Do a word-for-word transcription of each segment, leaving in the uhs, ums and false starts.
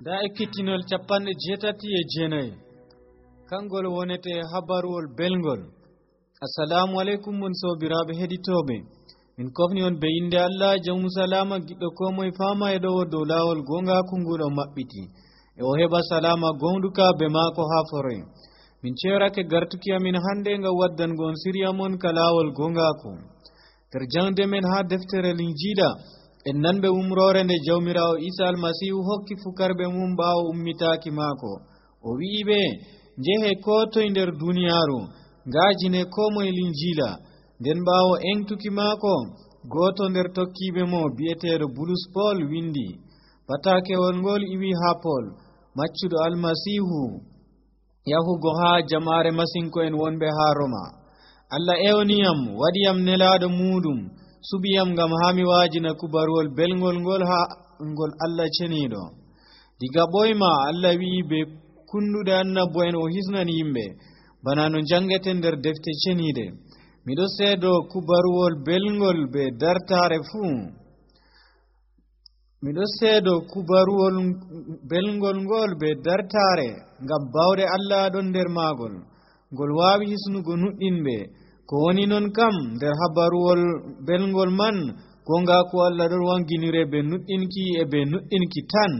da ekkitinol capanɗe jeetati e jeenayi kangol wonete habaruwol belgol. Assalamu alaikum mon sobiraɓe heɗitoɓe, min kofni on be inde Allah jawmu salama giɗɗo ko moye fama e ɗo dow lawol gongaku nguɗo maɓɓiti e o heɓa salama gonduka be maako ha foroy. min cerake gartuki amin hande ngam waddango on siriya mon ka lawol gongaku ter jangde men ha deftere linjiɗa en nanɓe umrore nde jawmirawo Isa almasihu hokki fukarɓe mum ɓawo ummitaki maako. O wi'iɓe njehe ko toye nder duniyaru ngajine ko moye linjila. nden ɓawo engtuki maako goto nder tokkiɓe mo bi'eteɗo Bulus Pol windi patakewol ngol iwi ha Pol, maccuɗo almasihu yahugo ha jamare masinko en wonɓe ha Roma. Allah ewniyam waɗiyam nelaɗo muɗum, subiyam ngam ha mi wajina kubaruwol belgol ngol ha ngol Allah ceniɗo. diga ɓoyma Allah wi'i be kunduɗe annabo en o hisnani yimɓe bana no jangete nder defte ceniɗe. miɗo seedo kubaruwol belgol be dartare fuu miɗo seedo kubaruwol belgol ngol be dartare ngam bawde Allah ɗon nder maagol ngol wawi hisnugo nuɗɗinɓe. ko woni non kam nder habaruwol belgol man gonga ko Allah ɗon wanginire be nuɗɗinki e be nuɗɗinki tan.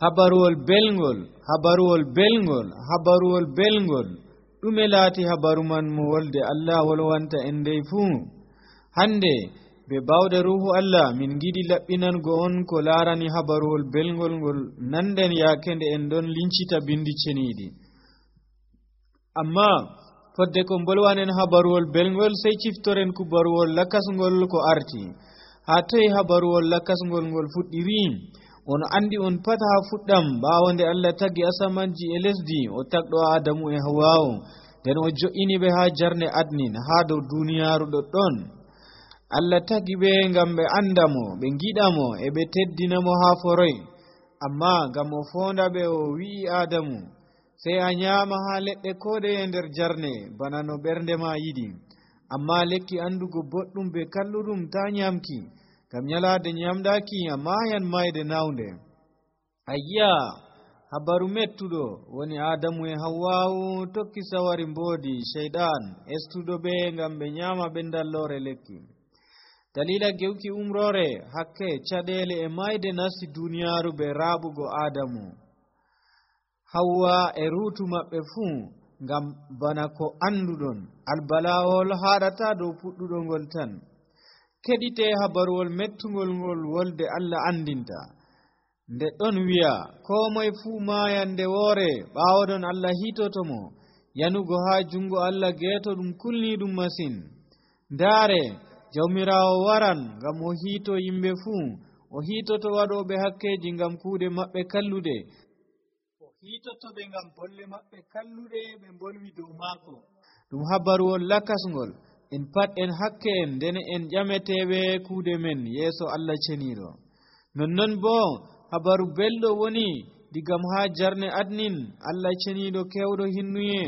habaruwol belgol habaruwol belgol habaruwol belgol ɗume laati habaru man mo wolde Allah wolwanta en ndey fuu. hande be bawde ruhu Allah min giɗi laɓɓinango on ko larani habaruwol belgol ngol nanden yaake nde en ɗon lincita bindi ceniɗi. amma fodde ko bolwanen habaruwol belgol sey ciftoren kubaruwol lakasngol ko arti. ha toye habaruwol lakasngol ngol fuɗɗiri? on andi on pat ha fuɗɗam ɓawo nde Allah tagi asamanji e lesdi o tagɗo Adamu e Hawwa'u nden o jo'ini ɓe ha jarne adnin ha dow duniyaru ɗoɗɗon. Allah tagi ɓe ngam ɓe andamo, ɓe giɗamo e ɓe teddinamo ha foroy. amma ngam o fonda ɓe o wi'i Adamu sey a nyama ha leɗɗe koɗeye nder jarne bana no ɓernde ma yiɗi, amma lekki andugo boɗɗum be kalluɗum ta nyamki, ngam nyalade nyamdaki a mayan mayde nawnde. ayya habaru mettuɗo woni Adamu e Hawwa'u tokki sawari mbodi shayɗan estuɗo ɓe ngam ɓe nyama ɓe dallore lekki. dalila gewki umrore hakke caɗele e mayde nasti duniyaru ɓe raɓugo Adamu Hawwa e rutu maɓɓe fuu, ngam bana ko anduɗon albalawol haɗata dow puɗɗuɗo ngol tan. keɗite habaruwol mettugol ngol wolde Allah andinta nde ɗon wi'a ko moye fuu mayande woore ɓawoɗon Allah hitotomo yanugo ha jungo Allah geeto ɗum kulni ɗum masin. ndaare jawmirawo waran ngam o hito yimɓe fuu, o hitoto waɗoɓe hakkeji ngam kuuɗe maɓɓe kalluɗe, o hitoto ɓe ngam bolle maɓɓe kalluɗe ɓe bolwi dow maako. ɗum habaruwol lakasngol en pat en hakke en ndene en ƴameteɓe kuuɗe men yeeso Allah ceniɗo. nonnon bo habaru belɗo woni digam ha jarne adnin Allah ceniɗo kewɗo hinnuye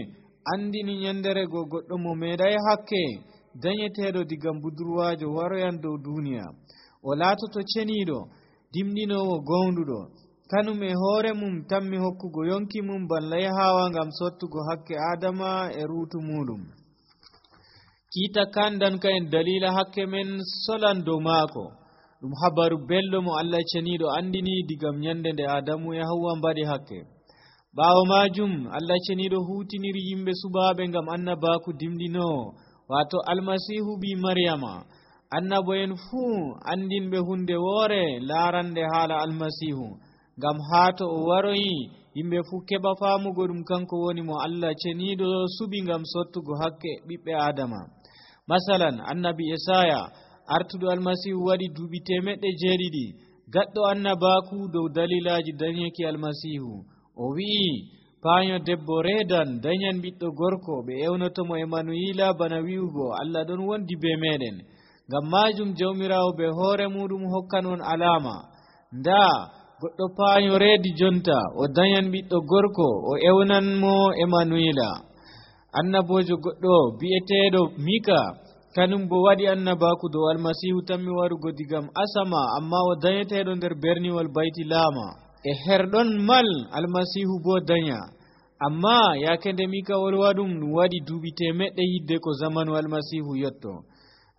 andini nyandere go goɗɗo mo meeɗay hakke dañeteɗo digam budurwajo waroyan dow duniya. o laatoto ceniɗo dimɗinowo gonduɗo, kanum e hoore mum tammi hokkugo yonki mum balla yahawa ngam sottugo hakke Adama e ruutu muɗum. kiita kandanka en dalila hakke men solan dow maako. ɗum habaru belɗo mo Allah ceniɗo andini digam nyande nde Adamu e Hawwa mbaɗi hakke. ɓawo majum Allah ceniɗo hutiniri yimɓe subaɓe ngam annabaku dimɗinowo, wato almasihu bi Maryama. annabo en fuu andinɓe hunde woore larande haala almasihu, ngam haa to o waroyi yimɓe fuu keɓa famugo ɗum kanko woni mo Allah ceniɗo suɓi ngam sottugo hakke ɓiɓɓe Adama. masalan annabi Esaya artuɗo almasihu waɗi duuɓi temeɗɗe jeeɗiɗi gaɗɗo annabaku dow dalilaji dañeki almasihu. o wi'i paanyo debbo reedan dañan ɓiɗɗo gorko, ɓe ewnotomo Emanuila bana wi'ugo Allah ɗon wondi be meɗen. ngam majum jawmirawo be hoore muɗum hokkan on alama. nda goɗɗo paanyo reedi jonta o dañan ɓiɗɗo gorko, o ewnan mo Emanuila. annabojo goɗɗo bi'eteɗo Mika kanum bo waɗi annabaku dow almasihu tammi warugo digam asama, amma o dañeteɗo nder berniwol bayti laama. e herɗon mal almasihu bo danya. Amma yake nde mika wolwaɗum ɗum waɗi duuɓi temeɗɗe yidde ko zamanu almasihu yotto.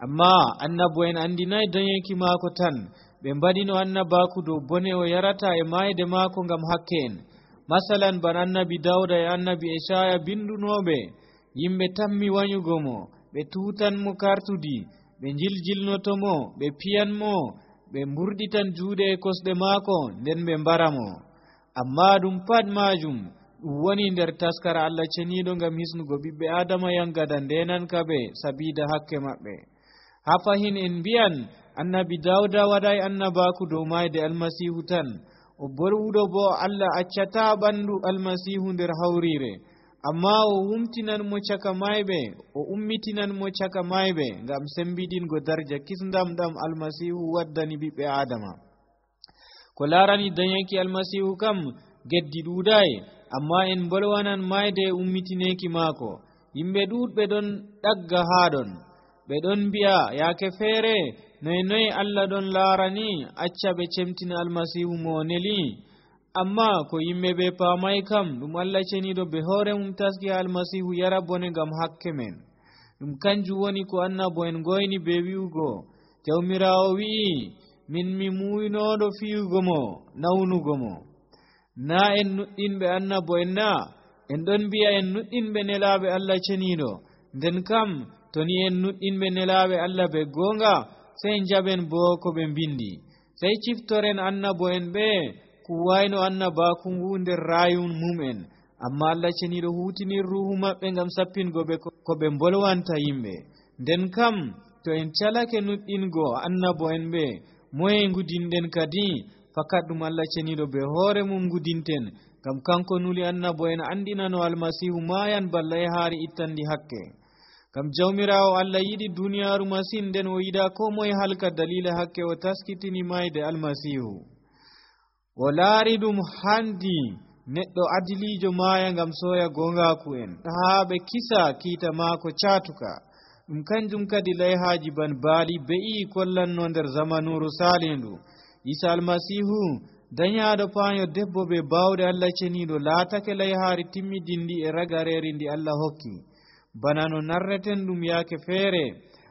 Amma annabo en andinayi dañeki maako tan, ɓe mbaɗino annabaku dow bone o yarata e mayde maako ngam hakke en. Masalan ban annabi Dawda e annabi Esaya bindunoɓe, yimɓe tammi wanyugo mo, ɓe tutanmo kartudi, ɓe jiljilnotomo, ɓe piyanmo, ɓe mburɗitan juuɗe e kosɗe maako, nden ɓe mbaramo. Amma ɗum pat majum ɗum woni nder taskara Allah ceniɗo ngam hisnugo ɓiɓɓe Adama yangada ndenanka ɓe sabida hakke maɓɓe. Ha fahin en mbiyan annabi Dawda waɗai annabaku dow mayde almasihu tan. O bolwuɗo bo Allah accata ɓandu almasihu nder hawrire, amma o wumtinan mo caka mayɓe, o ummitinan mo caka mayɓe ngam sembiɗingo darja kisndam ɗam almasihu waddani ɓiɓɓe Adama. Ko larani dañeki almasihu kam geddi ɗuɗai, amma en bolwanan mayde e ummitineki maako. Yimɓe ɗuɗɓe ɗon ɗagga haɗon, ɓe ɗon mbi'a yake feere noye noye Allah ɗon laarani acca ɓe cemtina almasihu mo neli. Amma ko yimɓe ɓe paamai kam ɗum Allah ceniɗo be hoore mum taski ha almasihu yara bone ngam hakke men. Ɗum kanjum woni ko annabo en goyni be wi'ugo, Jawmirawo wi'i, min mi muuynoɗo fiyugo mo, nawnugo mo. Na en nuɗɗinɓe annabo en na, en ɗon mbi'a en nuɗɗinɓe nelaɓe Allah ceniɗo. Nden kam to ni en nuɗɗinɓe nelaɓe Allah be gonga, sey jaɓen bo ko ɓe mbindi, sey ciftoren annabo en ɓe kuwayno annabaku ngu nder rayun mum'en. Amma Allah ceniɗo hutinir ruhu maɓɓe ngam sappingo ɓe ko ɓe bolwanta yimɓe. Nden kam to en calake nuɗɗingo annabo en ɓe, moye ngudinɗen kadi? Fakat ɗum Allah ceniɗo be hoore mum ngudinten, ngam kanko nuli annabo en andinano almasihu mayan balla e haari ittandi hakke. Ngam Jawmirawo Allah yiɗi duniyaaru masin, nden o yiɗa ko moye halka dalila hakke o taskitini mayde almasihu. O laari ɗum handi neɗɗo adilijo maaya ngam soya gongaku en, haa ɓe kisa kiita maako caatuka. Ɗum kanjum kadi layhaji ban baali be'i kollanno nder zamanuru salindu. Isa almasihu dañaɗo paanyo debbo be bawɗe Allah ceniɗo laatake layhaari timmidindi e ragareri ndi Allah hokki. Bana no narreten ɗum yaake feere,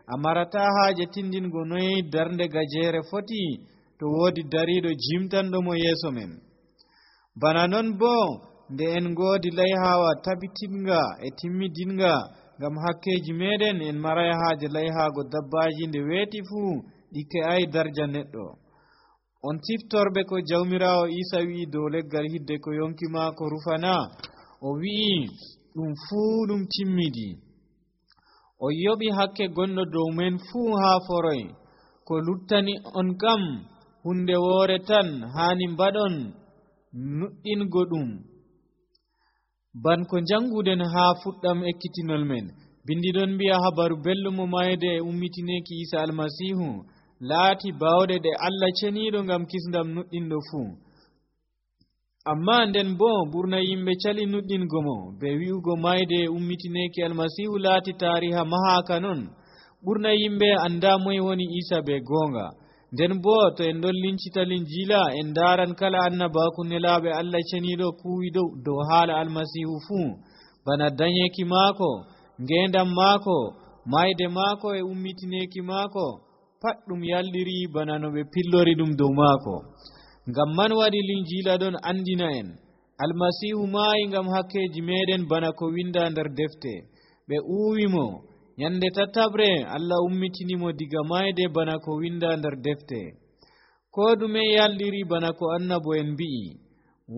a marata haaje tindingo noye darnde gajere foti to woodi dariɗo jimtanɗomo yeeso men. Bana non bo nde en ngoodi layhawa tabitinga e timmidinga ngam hakkeji meɗen, en maray haaje layhaago dabbaji nde weeti fuu ɗikke ay darja neɗɗo. On tiftorɓe ko Jawmirawo Isa wi'i dow leggal hidde ko yonki maako rufana, o wi'i ɗum fuu ɗum timmidi. O yoɓi hakke gonɗo dow men fuu haa foroy. Ko luttani on kam hunde woore tan haani mbaɗon, nuɗɗingo ɗum ban ko janguden haa fuɗɗam ekkitinol men. Bindiɗon mbi'a habaru belɗum mo mayde e ummitineki Isa almasihu laati bawɗe ɗe Allah ceniɗo ngam kisndam nuɗɗinɗo fuu. Amma nden bo ɓurna yimɓe cali nuɗɗingo mo be wi'ugo mayde e ummitineki almasihu laati tariha mahaka non. Ɓurna yimɓe anda moye woni Isa be gonga. Nden bo to en ɗon lincita Linjila, en daran kala annabaku nelaɓe Allah ceniɗo kuwiɗo dow haala almasihu fuu, bana dañeki maako, ngendam maako, mayde maako e ummitineki maako, pat ɗum yalɗiri bana no ɓe pillori ɗum dow maako. Ngam man waɗi Linjila ɗon andina en almasihu maayi ngam hakkeji meɗen bana ko winda nder defte. Ɓe uwimo nyande tatabre Allah ummitinimo diga mayde bana ko winda nder defte. Ko ɗume yalɗiri bana ko annabo en mbi'i.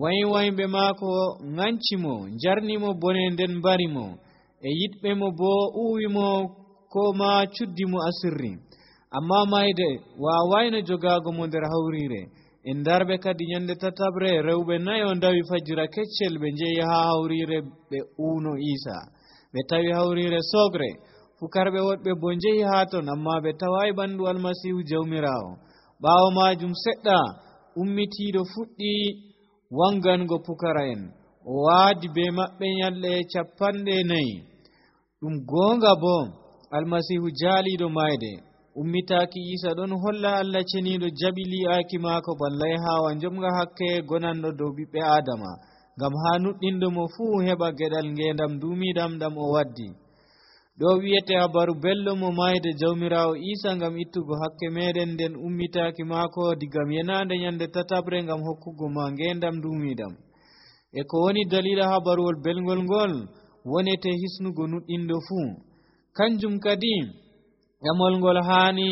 Waywayɓe maako ŋancimo, jarnimo bone nden mbarimo, e yiɗɓe mo bo uwimo ko ma cuddimo asirri. Amma mayde wawayno jogago mo nder hawrire. En darɓe kadi nyande tatabre rewɓe nayo ndawi fajira keccel ɓe njehi ha hawrire ɓe uwno Isa. Ɓe tawi hawrire sogre. Fukarɓe woɗɓe bo njehi ha ton, amma ɓe tawai ɓandu almasihu Jawmirawo. Ɓawo majum seɗɗa ummitiɗo fuɗɗi wangango pukara en. O waadi be maɓɓe nyalɗe capanɗe nayi. Ɗum gonga bo almasihu jaaliɗo mayde. ummitaki isa ɗon holla Allah ceniɗo jaɓi li'aki maako ballay hawa jomga hakke gonanɗo dow ɓiɓɓe adama ngam ha nuɗɗinɗo mo fuu heɓa geɗal ngendam dumiɗam ɗam o waddi. ɗo wiyete habaru belɗum mo mayde jawmirawo isa ngam ittugo hakke meɗen nden ummitaki maako digam yenande nyande tatabre ngam hokkugo ma ngendam dumiɗam. e ko woni dalila habaruwol belgol ngol wonete hisnugo nuɗɗinɗo fuu. kanjum kadi ƴamol ngol hani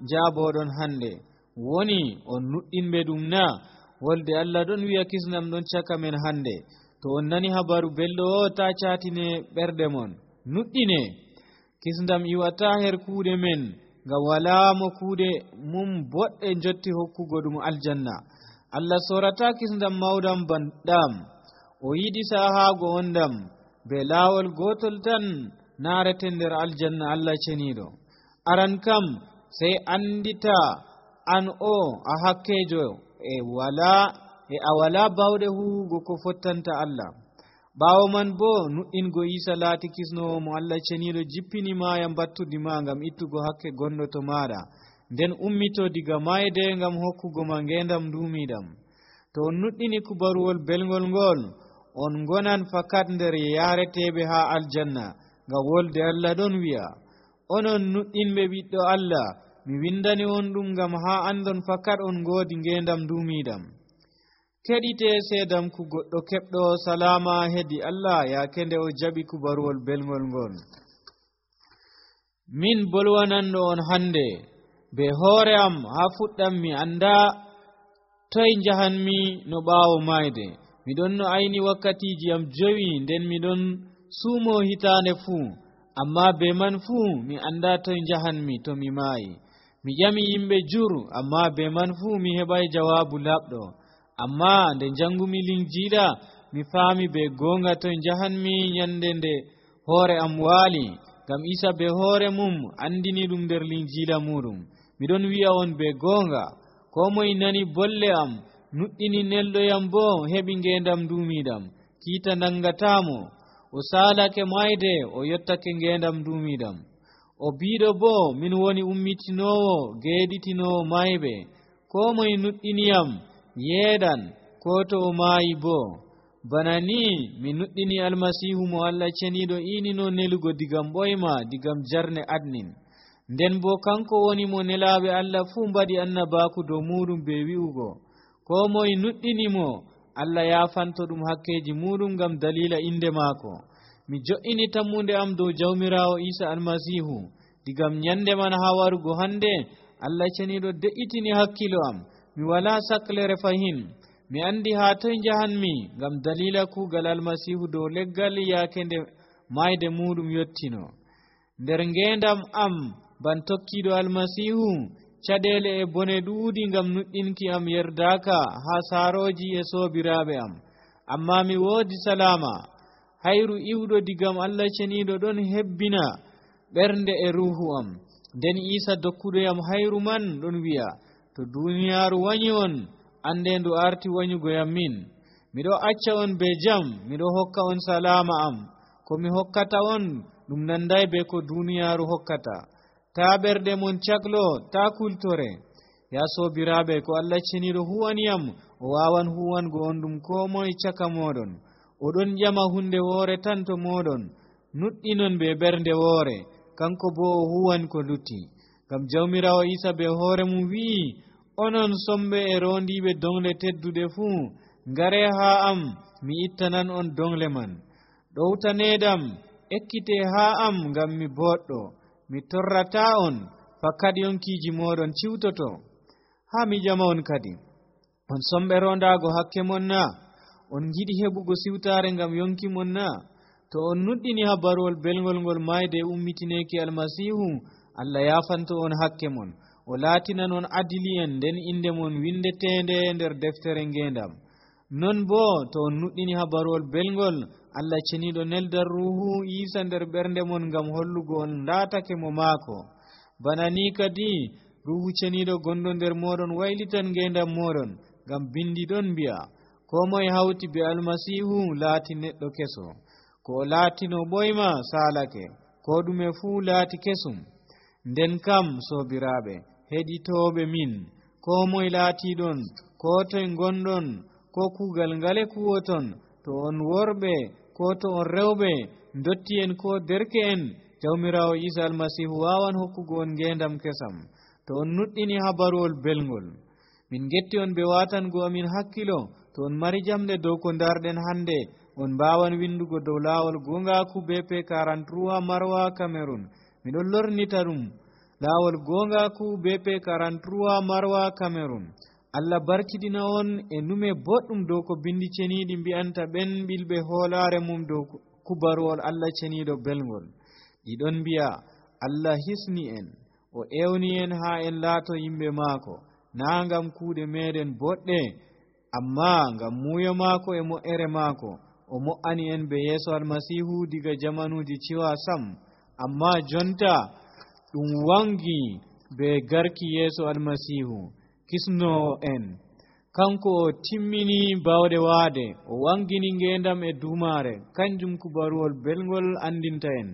jaboɗon hande woni on nuɗɗinɓe ɗum na wolde Allah ɗon wi'a kisnam ɗon caka men hande. to on nani habaru belɗo o ta catine ɓerɗe mon, nuɗɗine. kisndam iwata her kuuɗe men ngam wala mo kuuɗe mum boɗɗe jotti hokkugo ɗum aljanna. Allah sorata kisndam mawɗam banɗam, o yiɗi sahago on ɗam be laawol gotol tan narete nder aljanna Allah ceniɗo. aran kam sai andita an o a hakkejo e wala e a wala bawɗe huwugo ko fottanta Allah. ɓawo man bo nuɗɗingo isa laati kisnowo mo Allah ceniɗo jippini maya battudima ngam ittugo hakke gonɗo to maɗa, nden ummito diga mayde ngam hokkugo ma ngendam dumiɗam. to on nuɗɗini kubaruwol belgol ngol on gonan fakat nder yareteɓe ha aljanna, ngam wolde Allah ɗon wi'a onon nuɗɗinɓe ɓiɗɗo Allah mi windani on ɗum ngam ha andon fakat on ngodi ngendam dumiɗam. keɗite sedam ku goɗɗo keɓɗo salama hedi Allah yake nde o jaɓi kubaruwol belgol ngol. min bolwananɗo on hande be hoore am ha fuɗɗam mi anda toye jahanmi no ɓawo mayde. miɗon no ayni wakkatiji am jowi nden miɗon suumo hitande fuu, amma be man fuu mi anda toye jahanmi to mi maayi. mi ƴami yimɓe jur, amma be man fuu mi heɓai jawabu laɓɗo. amma nde jangumi linjiila mi faami be gonga toye jahanmi nyande nde hoore am waali, ngam isa be hoore mum andini ɗum nder linjiila muɗum. miɗon wi'a on be gonga ko moye nani bolle am nuɗɗini nelɗoyam bo heɓi ngendam dumiɗam, kiita nangatamo, o salake mayde o yottake ngendam dumiɗam. o biɗo bo min woni ummitinowo geɗitinowo mayɓe. ko moye nuɗɗiniyam yeeɗan ko to o maayi bo. bana ni mi nuɗɗini almasihu mo Allah ceniɗo inino nelugo digam ɓoyma digam jarne adnin. nden bo kanko woni mo nelaɓe Allah fuu mbaɗi annabaku dow muɗum be wi'ugo ko moye nuɗɗinimo Allah yafanto ɗum hakkeji muɗum ngam dalila inde maako. mi jo'ini tammude am dow jawmirawo isa almasihu digam nyande man ha warugo hande. Allah ceniɗo de'itini hakkilo am, mi wala saklere fahin. mi andi ha toye jahanmi ngam dalila kugal almasihu dow leggal yake nde mayde muɗum yottino. nder ngendam am ban tokkiɗo almasihu caɗele e bone ɗuuɗi ngam nuɗɗinki am yerdaka ha saroji e sobiraɓe am, amma mi woodi salama. hayru iwɗo digam Allah ceniɗo ɗon hebbina ɓernde e ruhu am. nden isa dokkuɗoyam hayru man ɗon wi'a to duniyaru wanyi on ande ndu arti wanyugoyam min. miɗo acca on be jam, miɗo hokka on salama am. ko mi hokkata on ɗum nanday be ko duniyaru hokkata. ta ɓerɗe mon caklo, ta kultore. ya sobiraɓe, ko Allah ceniɗo huwaniyam o wawan huwango on ɗum ko moye caka moɗon. oɗon ƴama hunde woore tan to moɗon, nuɗɗinon be ɓernde woore, kanko bo o huwan ko lutti. ngam jawmirawo isa be hoore mum wi'i onon somɓe e rondiɓe dongle tedduɗe fuu, ngare ha am mi ittanan on dongle man. ɗowtanedam ekkite ha am ngam mi boɗɗo, mi torrata on fakkat yonkiji moɗon ciwtoto. ha mi ƴama on kadi, on somɓe rondago hakke mon na? on jiɗi heɓugo siwtare ngam yonki mon na? to on nuɗɗini habaruwol belgol ngol mayde ummitineki almasihu, Allah yafanto on hakke mon, o laatinan on adili en, nden inde mon windetende nder deftere ngendam. non bo to on nuɗɗini habaruwol belgol, Allah ceniɗo neldar ruhu isa nder ɓernde mon ngam hollugo on laatake mo maako. bana ni kadi ruhu ceniɗo gonɗo nder moɗon waylitan ngendam moɗon, ngam bindi ɗon mbi'a ko moye hawti be almasihu laati neɗɗo keso. ko o laatino ɓoyma salake, ko ɗume fuu laati kesum. nden kam sobiraaɓe heɗitooɓe min ko moye laatiiɗon ko toye ngonɗon ko kuugal ngale kuwoton to on worɓe ko to on rewɓe dotti en ko derke en jawmiraawo Isa almasihu waawan hokkugo on ngeendam kesam to on nuɗɗini habaruwol belngol. Min getti on ɓe waatango amin hakkilo to on mari jamɗe dow ko ndarɗen hannde on mbaawan windugo dow laawol goongaaku B P quarante-trois Marwa Cameroun. Miɗon lornita ɗum laawol goongaaku B P quarante-trois Marwa Cameroun. Allah barkidina on e nume boɗɗum dow ko bindi ceniiɗi mbi'anta ɓen ɓilɓe hoolaare mum dow kubaruwol Allah ceniiɗo belngol. ɗiɗon mbi'a Allah hisni en o ewni en haa en laato yimɓe maako naa ngam kuuɗe meɗen boɗɗe amma ngam muuyo maako e mo'ere maako o mo'ani en be yeeso almasihu diga jamanuuji ciwa sam amma jonta ɗum wangi be garki yeeso almasihu kisnoo en kanko o timmini bawɗe waade o wangini ngeendam e duumaare kanjum kubaruwol belngol andinta en.